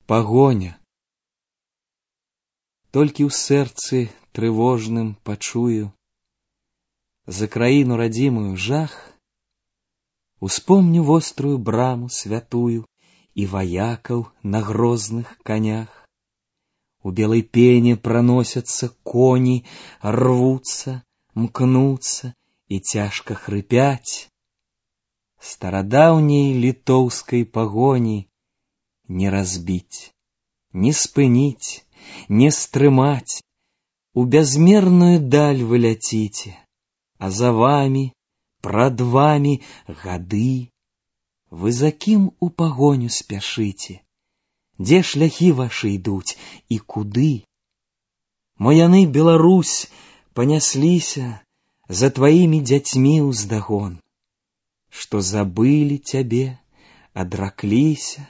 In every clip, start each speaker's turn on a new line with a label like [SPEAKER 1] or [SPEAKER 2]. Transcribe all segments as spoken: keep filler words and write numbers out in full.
[SPEAKER 1] Пагоня. Толькі ў сэрцы трывожным пачую за краіну радзімую жах, успомню вострую браму святую і ваякаў на грозных канях. У белой пене проносятся кони, рвутся, мкнутся и тяжко хрипять. Стародавней литовской погони не разбить, не спынить, не стрымать. У безмерную даль вы летите, а за вами, пред вами гады. Вы за кім у погоню спяшыце? Дзе шляхі ваши ідуць і куды? Мо яны, Беларусь, панясліся за тваімі дзяцьмі ўздагон, што забылі цябе, адракліся,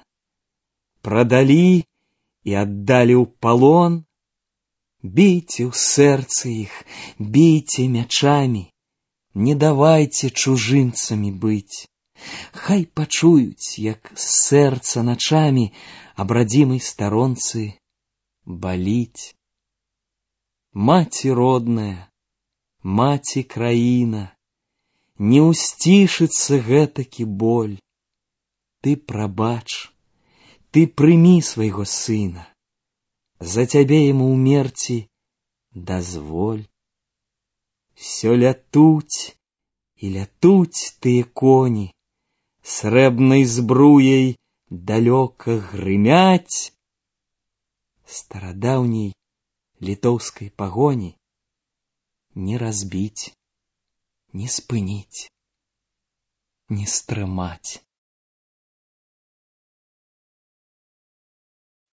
[SPEAKER 1] прадалі і аддалі ў палон. Бейце ў сэрцы іх, бейце мячамі, не давайце чужынцамі быць. Хай пачуюць, як з сэрца начамі аб радзімай старонцы баліць. Маці родная, маці краіна, не ўсцішыцца гэтакі боль. Ты прабач, ты прымі свайго сына, за цябе яму ўмерці дазволь. Всё лятуць і лятуць тыя коні, срэбнай збруяй далёка грымяць. Старадаўняй літоўскай пагоні не разбіць, не спыніць, не стрымаць.